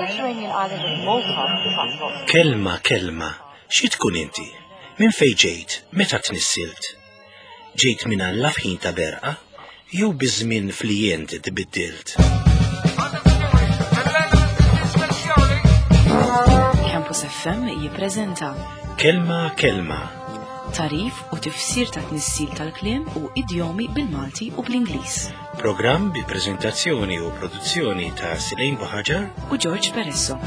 Mediterranean island of Malta translocks. Kelma, kelma, xi tkun inti? Minn fejn ġejt? Meta tnissilt? Ġejt minn Alla f'ħin ta' berqa? Jew biż-żmien flijent tbiddilt? Campus FM jippreżenta Kelma, kelma. Tarif u tifsir ta' tnissil tal-kliem u idjomi bil-Malti u bl-Ingliż. Programm bi preżentazzjoni u produzzjoni ta' Silejn Buħaġar u George Peresso.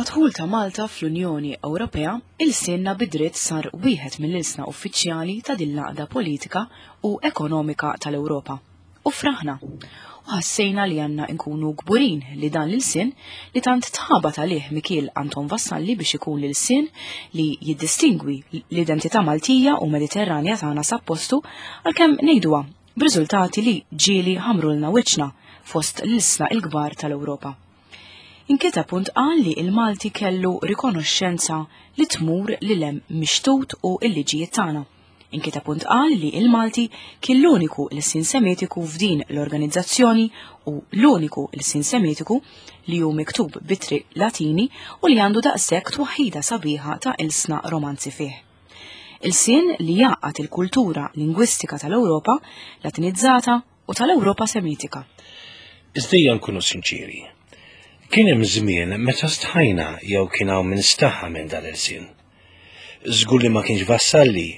Madħul ta' Malta fl-Unjoni Ewropea, il-sinna bidritt sar wieħed mill-ilsna uffiċjali ta' din l-għaqda politika u ekonomika tal-Ewropa. U fraħna. U ħassejna li għandna nkunu kburin li dan l-ilsien li tant tħabat għalih Mikiel Anton Vassalli biex ikun l-ilsien li jiddistingwi l-identità Maltija u Mediterranja tagħna sab postu għalkemm ngħiduha b'riżultati li ġieli ħamrulna wiċċna fost l-ilsna l-kbar tal-Ewropa. Inkiteb u ntqal li l-Malti kellu rikonoxxenza li tmur lil hemm mix-xtut u l-liġijiet tagħna. Inkiteb u ntqal li l-Malti kien l-uniku lsien Semitiku f'din l-organizzazzjoni u l-uniku lsien Semitiku li hu miktub b'ittri Latini u li għandu daqshekk twaħħida sabiħa ta' ilsna Romanzi fih. Ilsien li jgħaqqad il-kultura lingwistika tal-Ewropa Latinizzata u tal-Ewropa Semitika. Iżda ejja nkunu sinċieri. Kien hemm żmien meta stħajna jew kien hawn min staħa minn dan l-ilsien. Żgur li ma kienx Vassalli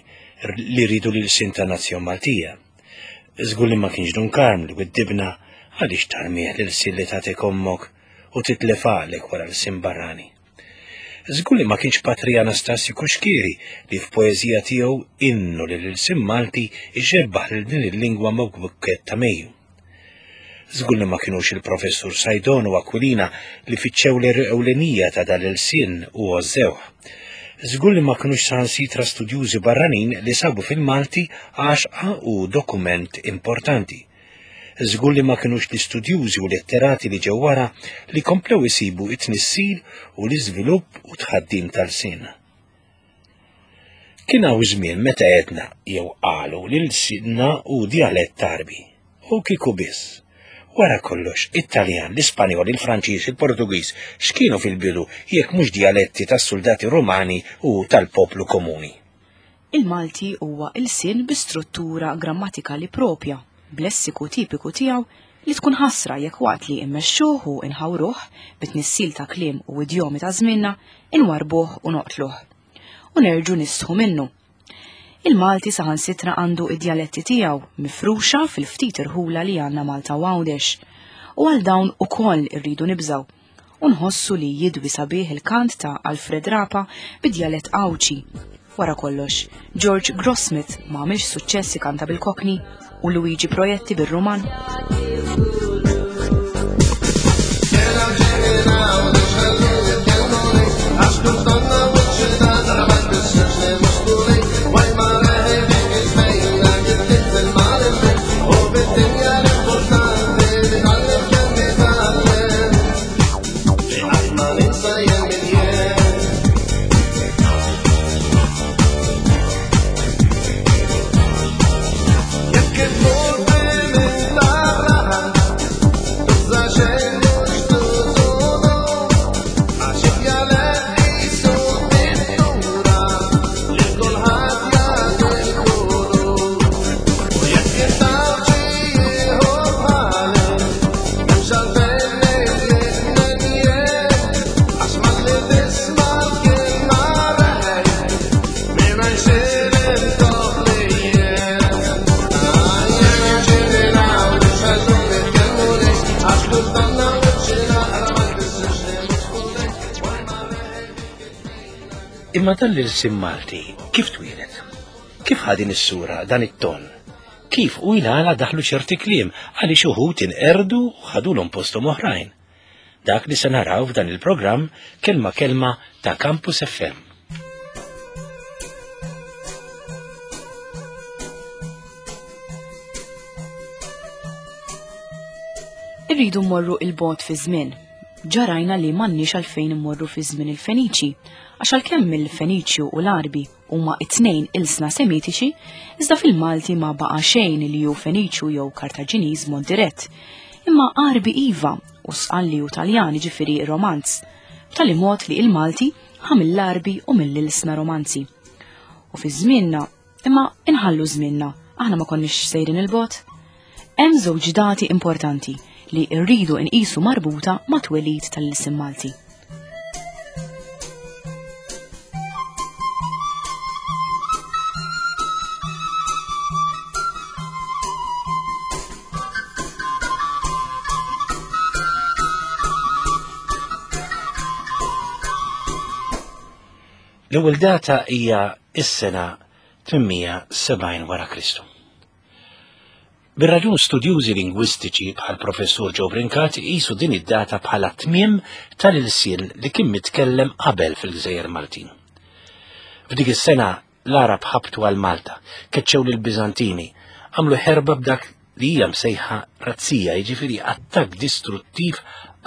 li rridu l-ilsien ta' nazzjon Maltija. Żgur li ma kienx Dun Karm li widdibna għaliex tarmih l-ilsien li tagħtik ommok u titlef għaqlek wara l-ilsien barrani. Żgur li ma kienx Patri Anastasju Cuschieri li f'poeżija tiegħu Innu lill-Ilsien Malti jxebbaħ lil din il-lingwa ma' bukkett ta' Mejju. Żgur li ma kinux il-Professur Saydon u Aquilina li fittxew l-għeruq ewlenija ta' dan l-ilsien u għożżewh. Żgur li ma kinux saħansitra studjużi barranin li sabu fil-Malti għaxqa u dokument importanti. Żgur li ma kinux l-istudjużi u letterati li ġew wara li komplew isibu it-tnissil u l-iżvilupp u tħaddim tal-sin. Kien hawn żmien meta għedna jew qalu li lsienna hu djalett Għarbi. U kieku biss. Wara kollox, it-Taljan, l-Ispanjol, il-Franċiż, il-Portugiż x'kienu fil-bidu jekk mhux djaletti tas-suldati Rumani u tal-poplu komuni. Il-Malti huwa ilsien bi struttura grammatikali proprja, b'lessiku tipiku tiegħu li tkun ħasra jekk waqt li immexxuh u inħawruh bit-tnissil ta' kliem u idjomi ta' żmienna, inwarrbuh u noqtluh. U nerġgħu nistħu minnu. Il-Malti saħansitra għandu id-djaletti tiegħu mifruxa fil-ftit irħula li għandna Malta u Għawdex. U għal dawn ukoll irridu nibżgħu. u nħossu li jidwi sabiħ il-kant ta' Alfred Rapa bid-djalett Għawdxi. Wara kollox, George Grossmith ma għamilx suċċess ikanta bil-Cockney u Luigi Proietti bir-Ruman. Imma dan l-ilsien Malti kif twieled? Kif ħa din is-sura, dan it-ton? Kif u jnala daħlu ċerti kliem għaliex uħud inqerdu u ħadulhom posthom oħrajn? Dak li se naraw f'dan il-programm Kelma Kelma ta' Campus FM. Irridu mmorru il-bogħod fi żmien. Ġa rajna li m'għandniex għalfejn immorru fi żmien il-Feniċi, għax għalkemm il-Feniċju u l-Għarbi huma t-tnejn ilsna Semitiċi, iżda fil-Malti ma baqa' xejn li hu Feniċju jew Kartaġiniż mod dirett. Imma Għarbi iva, u Sqalli u Taljan jiġifieri Romanz, b'tali mod li il-Malti ħa mill-Għarbi u mill-ilsna Romanzi. U fi żmienna, imma inħallu żmienna, aħna ma konniex sejrin il-bogħod. Hemm żewġ dati importanti li rridu nqisu marbuta ma' twelid tal-ilsien Malti. L-ewwel data hija s-sena 870 wara Kristu. Bir-raġun studjużi lingwistiċi bħal professur Joe Brincat iqisu din id-data bħala tmiem tal-ilsien li kien mitkellem qabel fil-Gżejjer Maltin. F'dik is-sena l-Għarab ħabtu għal Malta, keċċew lill-Biżantini, għamlu ħerba b'dak li hija msejħa razzija, jiġifieri attakk distruttiv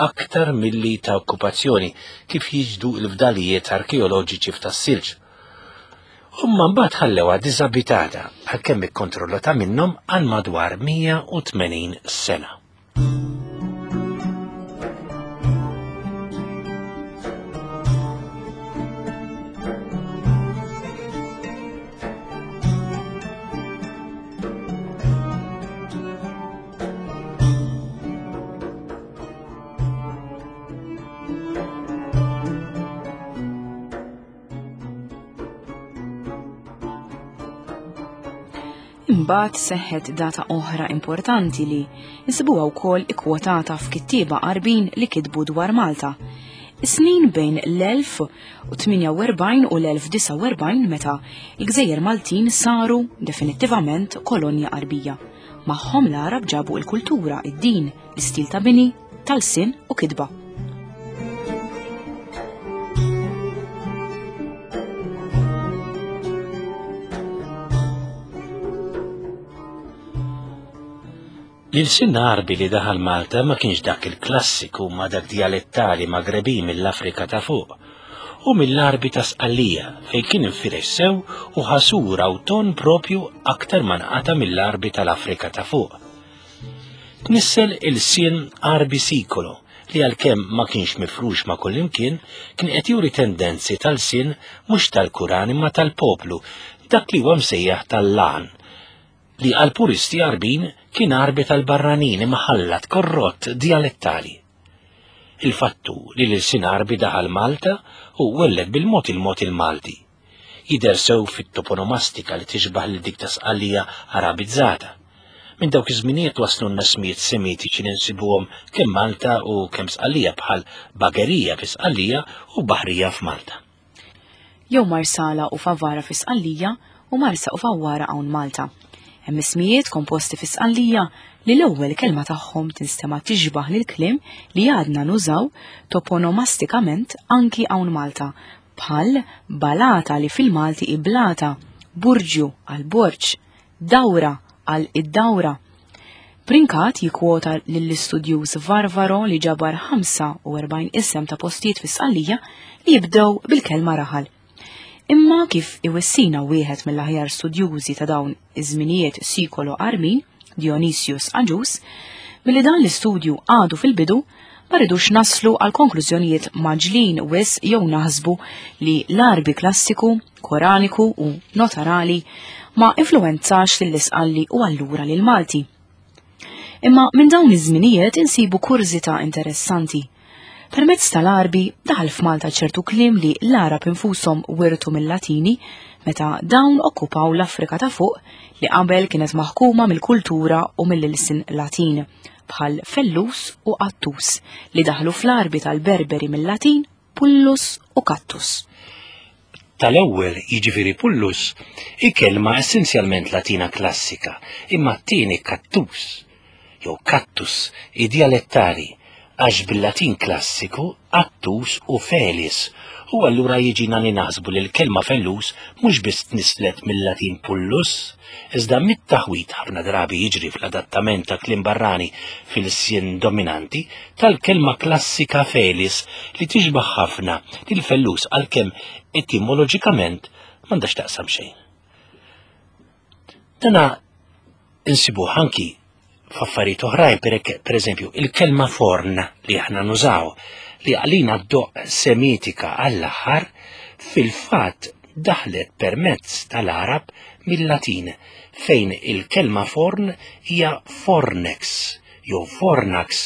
aktar milli ta' okkupazzjoni, kif jiġdu l-fdalijiet arkeoloġiċi f'Tas-Silġ. Huma mbagħad ħallewha diżabitata għalkemm ikkontrollata minnhom għal madwar 180 sena. Imbagħad seħħet data oħra importanti li nsibuha wkoll ikkwotata f'kittieba Għarbin li kitbu dwar Malta. Is-snin bejn l-1048 u l-1049 meta l-Gżejjer Maltin saru definittivament kolonja Għarbija. Magħhom l-Għarab ġabu l-kultura, id-din, l-istil ta' bini, tal-sin u kitba. L-ilsien Għarbi li daħal Malta ma kienx dak il-klassiku ma dak dialettali Magrebin mill-Afrika ta' fuq u mill-Għarbi ta' Sqallija fejn kien infirex sew u ħa sura u ton propju aktar ma nqata' mill-Għarbi tal-Afrika ta' fuq. Tnissel ilsien Għarbi Sikolo li għalkemm ma kienx mifrux ma' kullimkien, kien qed juri tendenzi ta' lsien mhux tal-Kuran imma tal-poplu, dak li huwa msejjaħ tal-Lan, li għall-puristi Għarbin kien Għarbi tal-barranin imma ħallat korrott djalettali. Il-fatt hu li l-ilsien Għarbi daħal Malta u welled bil-mod il-mod il-Malti. Jidher sew fit-toponomastika li tixbah lil dik ta' Sqallija Arabizzata. Minn dawk iż-żminijiet waslulna ismijiet Semitiċi li nsibuhom kemm Malta u kemm Sqallija bħal Bagerija fi Sqallija u Baħrija f'Malta. Jew Marsala u Favara fi Sqallija u Marsa u Fawwara hawn Malta. Hemm ismijiet komposti fi Sqallija li l-ewwel kelma tagħhom tinstema' tixbah lill-kliem li għadna nużaw toponomastikament anki hawn Malta bħal balata li fil-Malti hi blata, burġju għal borġ, dawra għal id-dawra. Brincat jikkwota lill-istudjuż Varvaro li ġabar 45 isem ta' postijiet fi Sqallija li jibdew bil-kelma raħal. Imma kif iwissina wieħed mill-aħjar studjużi ta' dawn iż-żminijiet Sikolo Armin, Dionysius Agius, milli dan l-istudju għadu fil-bidu, ma rridux naslu għal konklużjonijiet mgħaġġlin wisq jew naħsbu li l-Għarbi klassiku, Koraniku u notarali ma influwenzax lill-Isqalli u allura lill-Malti. Imma minn dawn iż-żminijiet insibu kurżità interessanti. Permezz tal-Għarbi daħal f'Malta ċertu kliem li l-Għarab infushom wirtu mill-Latini meta dawn okkupaw l-Afrika ta' fuq li qabel kienet maħkuma mill-kultura u mill-ilsien Latin, bħal fellus u qattus li daħlu fl-Għarbi tal-Berberi mill-Latin pullus u kattus. Tal-ewwel, jiġifieri pullus, hi kelma essenzjalment Latina klassika, imma t-tieni kattus, jew kattus, hi djalettali. Għax bil-Latin klassiku qattus u felis, u allura jiġina li naħsbu li l-kelma fellus mhux biss tnisslet mill-Latin pullus, iżda mit-taħwid ħafna drabi jiġri fl-adattament ta' kliem barrani fil-lsien dominanti tal-kelma klassika felis li tixbah ħafna lil fellus għalkemm etimoloġikament m'għandha x'taqsam xejn. Dana insibuh anki f'affarijiet oħrajn, per eżempju, il-kelma forn li aħna nużaw li għalina doq semitika għall-aħħar fil-fatt daħlet permezz tal-Arab mill-Latin fejn il-kelma forn hija fornex jew fornax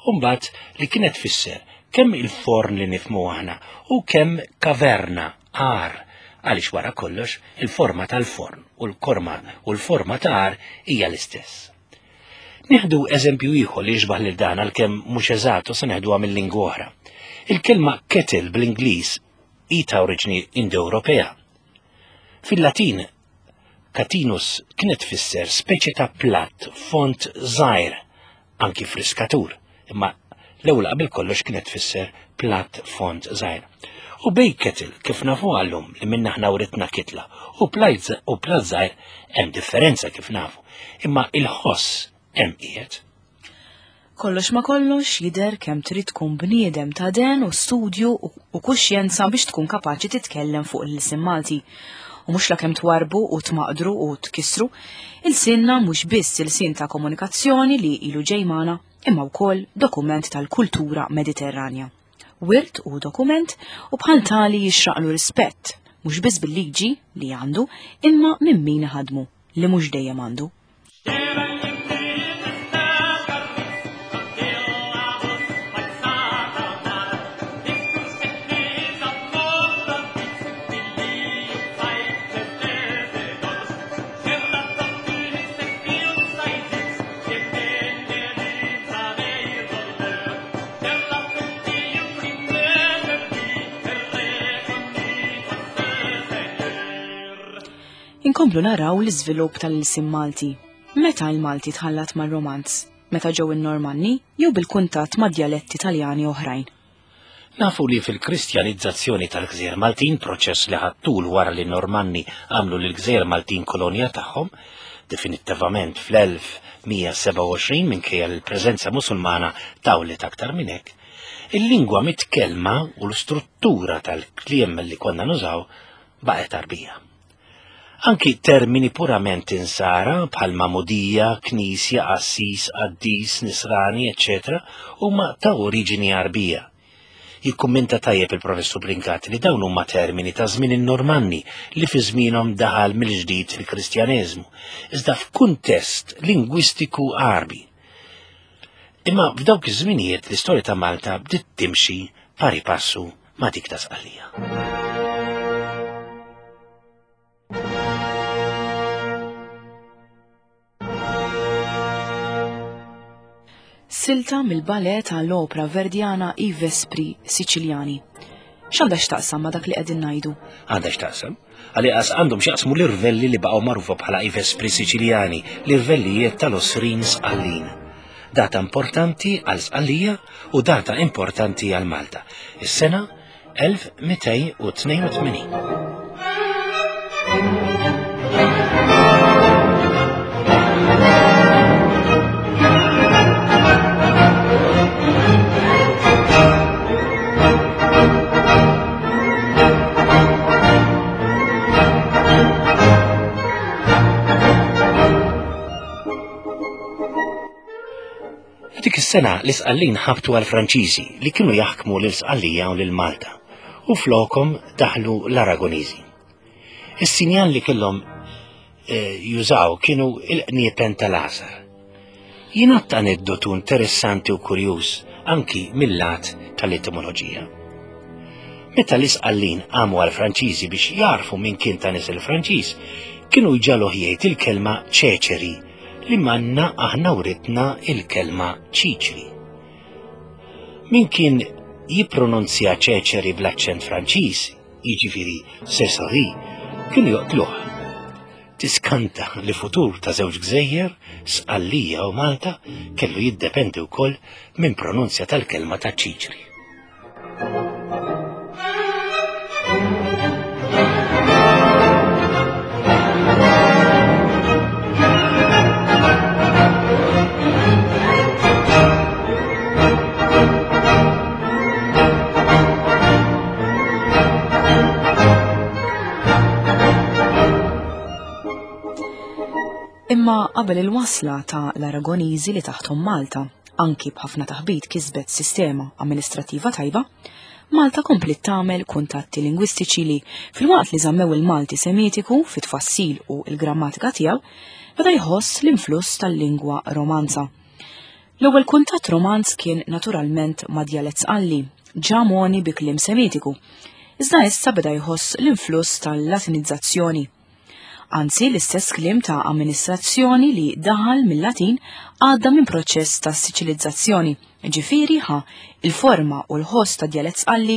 u mbagħad li kienet tfisser kemm il-forn li nifhmu aħna u kemm kaverna għar għaliex wara kollox il-forma tal-forn u l-korma u l-forma ta' għar hija l-istess. Nieħdu eżempju ieħor li jixbah lil dan għalkemm mhux eżatt u se neħduha mill-lingwa oħra. Il-kelma kettle bl-Ingliż hi ta' oriġni Indo-Ewropea. Fil-Latin, catinus kienet tfisser speċi ta' platt font żgħir anki friskatur, imma l-ewwel qabel kollox kienet tfisser platt font żgħir. U bej kettle kif nafu għallum li minna ħna writna kitla u platt u platt żgħir hemm differenza kif nafu, imma il-ħoss hemm qiegħed. Kollox ma kollox jidher kemm trid tkun bniedem ta' den u studju u kuxjenza biex tkun kapaċi titkellem fuq l-ilsien Malti. U mhux lakemm twarrbu u tmaqdru u tkissru, ilsienna mhux biss ilsien ta' komunikazzjoni li ilu ġej magħna, imma wkoll dokument tal-kultura Mediterranja. Wirt u dokument u bħal tali jixraqlu rispett, mhux biss bil-liġi li għandu, imma minn min iħaddmu, li mhux dejjem għandu. Inkomplu naraw l-iżvilupp tal-ilsien Malti. Meta l-Malti tħallat mar-Romanz? Meta ġew in-Normanni jew bil-kuntatt ma' djaletti Taljani oħrajn? Nafu li fil-Kristjanizzazzjoni tal-Gżejjer Maltin, proċess li ħa tul wara li n-Normanni għamlu lill-Gżejjer Maltin kolonja tagħhom, definittivament fl-1127 minkejja li l-preżenza Musulmana tawlet aktar minn hekk, il-lingwa mitkellma u l-istruttura tal-kliem li konna nużaw baqgħet Għarbija. Anki termini purament insara bħal magħmudija, knisja, qassis, qaddis, nisrani, eċċetera huma ta' oriġini Għarbija. Jikkummenta tajjeb il-Professur Brincat li dawn huma termini ta' żmien in-Normanni li fi żmienhom daħal mill-ġdid il-Kristjaneżmu, iżda f'kuntest lingwistiku Għarbi. Imma f'dawk iż-żminijiet l-istorja ta' Malta bdiet timxi pari passu ma' dik ta' Sqallija. Silta mill-ballet tal-opra Verdiana I Vespri Siciliani. X'għandha x'taqsam ma' dak li qegħdin ngħidu? Għandha x'taqsam? Għalieqas għandhom x'jaqsmu l-irvelli li baqgħu magħrufa bħala i Vespri Siċiljani, l-irvellijiet tal-Għosrin Sqallin. Data importanti għal Sqallija u data importanti għal Malta. Is-sena 1282. F'dik is-sena l-Isqallin ħabtu għall-Franċiżi li kienu jaħkmu lil Sqallija u lil Malta u flokhom daħlu l-Aragoniżi. Is-sinjal li kellhom eh, jużaw kienu il-qniepen tal-għasar. Jingħadd aneddotu interessanti u kurjuż anki mil-lat tal-etimoloġija. Meta l-Isqallin qamu għall-Franċiżi biex jagħrfu min kien ta' nisel Franċiż, kienu jġagħluh jgħid il-kelma ċeċeri li manna aħna writna il-kelma ċiċri. Min kien jippronunzja ċeċeri bl-aċċent Franċiż, jiġifieri Cesari, kienu joqtluh. Tiskanta li futur ta' żewġ gżejjer, Sqallija u Malta, kellu jiddependi wkoll minn pronunzja tal-kelma ta' ċiċri. Imma qabel il-wasla ta' l-Aragoniżi li taħthom Malta, anki b'ħafna taħbit kisbet sistema amministrattiva tajba, Malta kompliet tagħmel kuntatti lingwistiċi li, filwaqt li żammew il-Malti Semitiku fit-tfassil u l-grammatika tiegħu, beda jħoss l-influss tal-lingwa Romanza. L-ewwel kuntatt Romanz kien naturalment ma' djalett Sqalli, ġa mogħni bi kliem Semitiku, iżda issa beda jħoss l-influss tal-Latinizzazzjoni. Anzi, l-istess kliem ta' amministrazzjoni li daħal mill-Latin għadda minn proċess ta' Siċilizzazzjoni, ġifieri ħa il-forma u l-ħoss ta' djalett Sqalli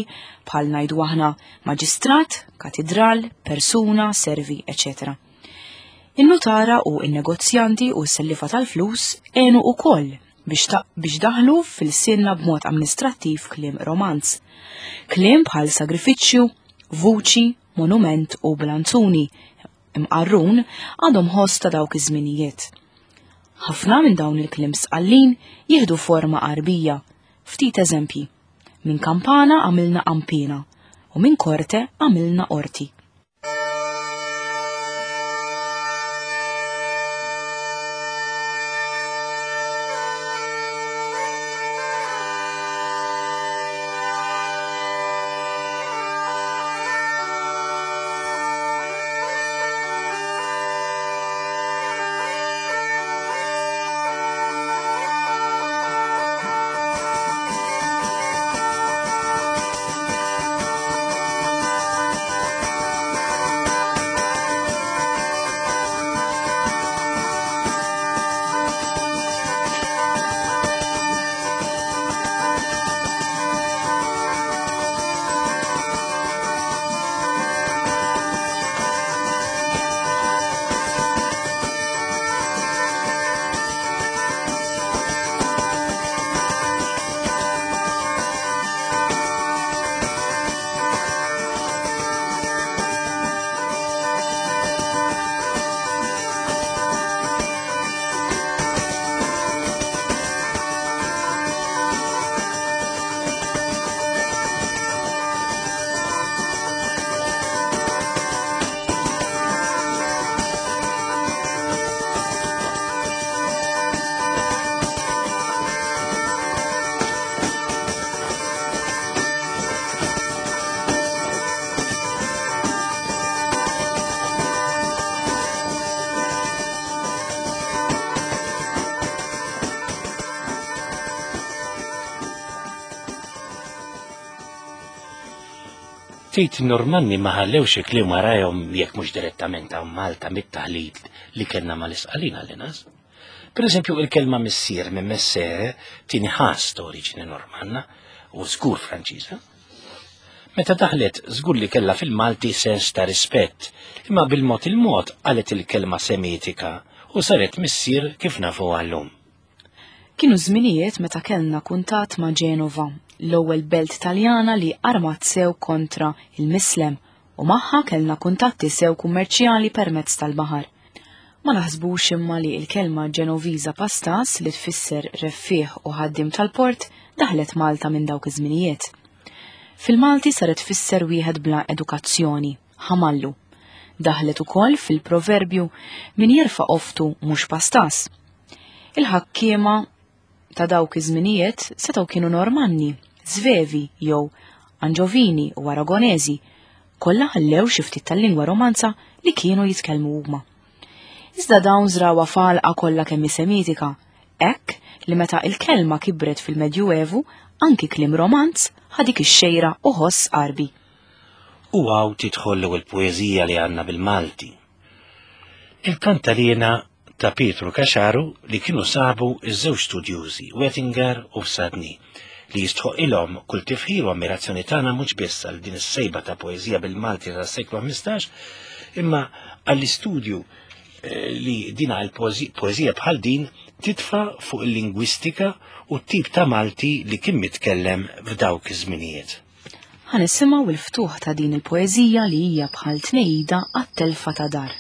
bħal ngħidu aħna maġistrat, katidral, persuna, servi, eċetera. In-nutara u n-negozjanti u s-sellifa tal-flus għenu ukoll biex, biex daħlu fil-sinna b'mod amministrattiv kliem romanz. Kliem bħal sagrifiċċju, vuċi, monument u blanzuni imqarrun għadhom ħoss ta' dawk iż-żminijiet. Ħafna minn dawn il-kliem sqallin jieħdu forma qarbija. Ftit eżempji. Minn kampana għamilna qampina u minn korte għamilna qorti. Tgħid in-Normanni ma ħallewx il-kliem warajhom jekk mhux direttament hawn Malta mit-taħlit li kellna mal-Isqalin għall-inqas. Per eżempju, il-kelma missier minn messere tini ħass ta' oriġini Normanna u żgur Franċiża. Meta daħlet żgur li kellha fil-Malti sens ta' rispett, imma bil-mod il-mod qalet il-kelma Semitika u saret missier kif nafu għallum. Kienu żminijiet meta kellna kuntatt ma' Ġenova, l-ewwel belt Taljana li armat sew kontra il-Mislem u magħha kellna kuntatti sew kummerċjali permezz tal-baħar. Ma naħsbux imma li l-kelma Ġenoviża pastas li tfisser reffiegħ u ħaddiem tal-port daħlet Malta minn dawk iż-żminijiet. Fil-Malti saret tfisser wieħed bla edukazzjoni, ħamallu. Daħlet ukoll fil-proverbju min jerfa' qoftu mhux pastas. Il-ħakkiema ta' dawk iż-żminijiet setgħu kienu Normanni, Svevi jew Anġovini u Aragoneżi, kollha ħallew xi ftit tal-lingwa Romanza li kienu jitkellmu huma. Iżda dawn żrawha f'għalqa kollha kemm hi Semitika, hekk li meta il-kelma kibret fil-Medjuevu anki kliem Romanz ħa dik ix-xejra u ħoss Għarbi. U hawn tidħol l-ewwel poeżija li għandna bil-Malti. Il-Kantaliena ta' Pietru Caxaru li kienu sabu ż-żewġ studjużi Wettinger u Fsadni li jistħoqilhom kull tifħir u ammirazzjoni tagħna mhux biss għal din is-sejba ta' poeżija bil-Malti tas-seklu 15 imma għall-istudju eh, li dina l-poeżija bħal din titfa' fuq il-lingwistika u t-tip ta' Malti li kien mitkellem f'dawk iż-żminijiet. Ħa nisimgħu l-ftuħ ta' din il-poeżija li hija bħal tnehida għat-telfa ta' dar.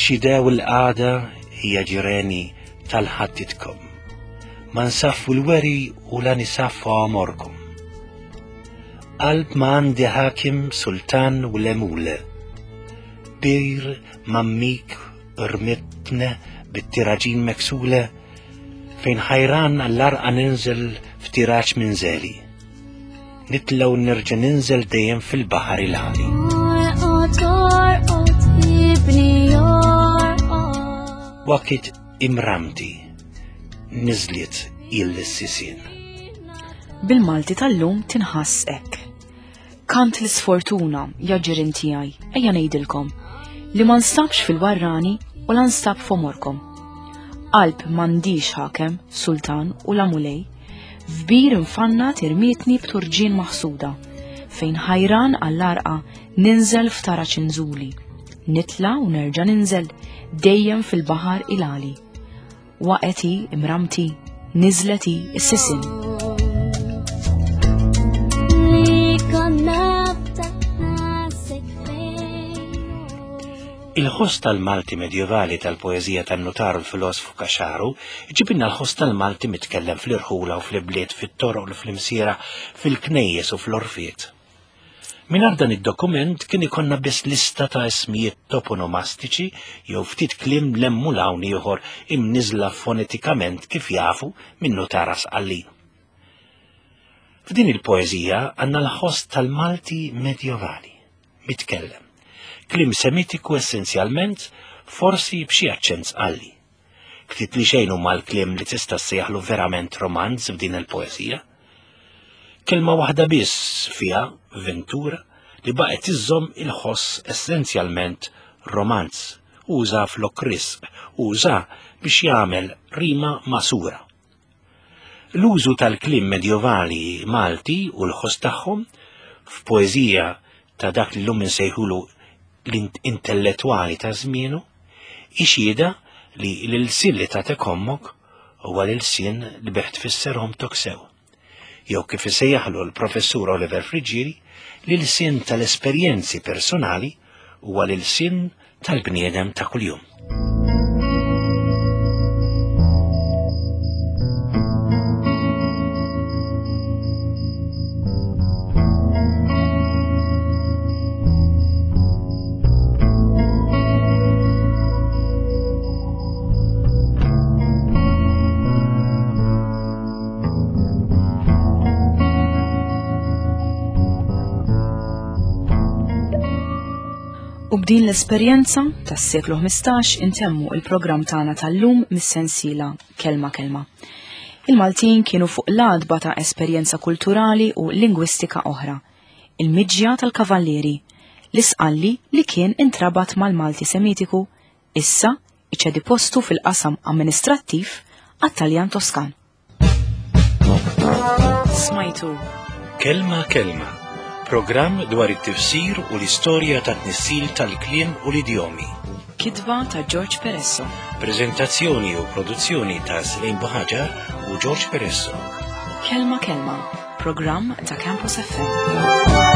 Xidew il-qagħda hija ġireni tal-ħadditkom. Ma nsaffu l-weri u la nisaffu għomorkom. Qalb ma għandi ħakim sultan u lemule. Bir mammik rmitne bit-tiraġin meksule fejn ħajran għall-arqa ninżel f'tiraġ minn zeli. Nitla u nerġa' ninżel dejjem fil-baħar il-għali. Wakit imramti niżliet il-sisien. Bil-Malti tal-lum tinħass hekk. Kant l-isfortuna, ja ġirien tiegħi, ejja ngħidilkom, li ma nstabx fil-warrani u la nstab f'għomorkom. Qalb m'għandix ħakem, sultan u la mulej, f'bir infannat irmietni b'turġien maħsuda, fejn ħajran għall-għarqa ninżel f'taraġ inżuli, nitla' u nerġa' ninżel dejjem fil-baħar il-għali. Waqgħet hi imramti, niżlet hi s-sisien. Il-ħoss tal-Malti medjevali tal-poeżija tan-nutar u l-filosfu Caxaru ġibilna l-ħoss tal-Malti mitkellem fl-irħula u fl-ibliet, fit-toroq u fl-imsiera, fil-knejjes u fl-orfiet. Mingħajr dan id-dokument kien ikollna biss lista ta' ismijiet toponomastiċi jew ftit kliem 'l hemm u 'l hawn ieħor imniżżla fonetikament kif jafu minn nutara Sqallin. F'din il-poeżija għandna l-ħoss tal-Malti medjevali, mitkellem. Kliem Semitiku essenzjalment, forsi b'xi aċċent Sqalli. Ftit li xejn huma l-kliem li tista' ssejjaħlu verament romanz f'din il-poeżija. Kelma waħda biss fiha, ventura, li baqgħet iżżomm il-ħoss essenzjalment romanz. Uża flok risq, uża biex jagħmel rima ma' sura. L-użu tal-kliem medjevali Malti u l-ħoss tagħhom f'poeżija ta' dak li llum insejħulu l-intellettwali ta' żmienu, hi xhieda li l-ilsien li tagħtek ommok huwa l-ilsien li bih tfisser omtok sew. Jew kif isejjaħlu l-Professur Oliver Friggieri, l-ilsien tal-esperjenzi personali huwa l-ilsien tal-bniedem ta' kuljum. U b'din l-esperjenza tas-seklu 15 intemmu il-programm tagħna tal-lum mis-sensiela Kelma Kelma. Il-Maltin kienu fuq l-għatba ta' esperjenza kulturali u lingwistika oħra, il-miġja tal-kavallieri, l-Isqalli li kien intrabat mal-Malti Semitiku, issa iċedi postu fil-qasam amministrattiv għat-Taljan Toskan. Smajtu. Kelma Kelma, programm dwar it-tifsir u l-istorja tat-tnissil tal-kliem u l-idjomi. Kitba ta' George Peresso. Prezentazzjoni u produzzjoni ta' Slim Buħaġar u George Peresso. Kelma Kelma, programm ta' Campus FM.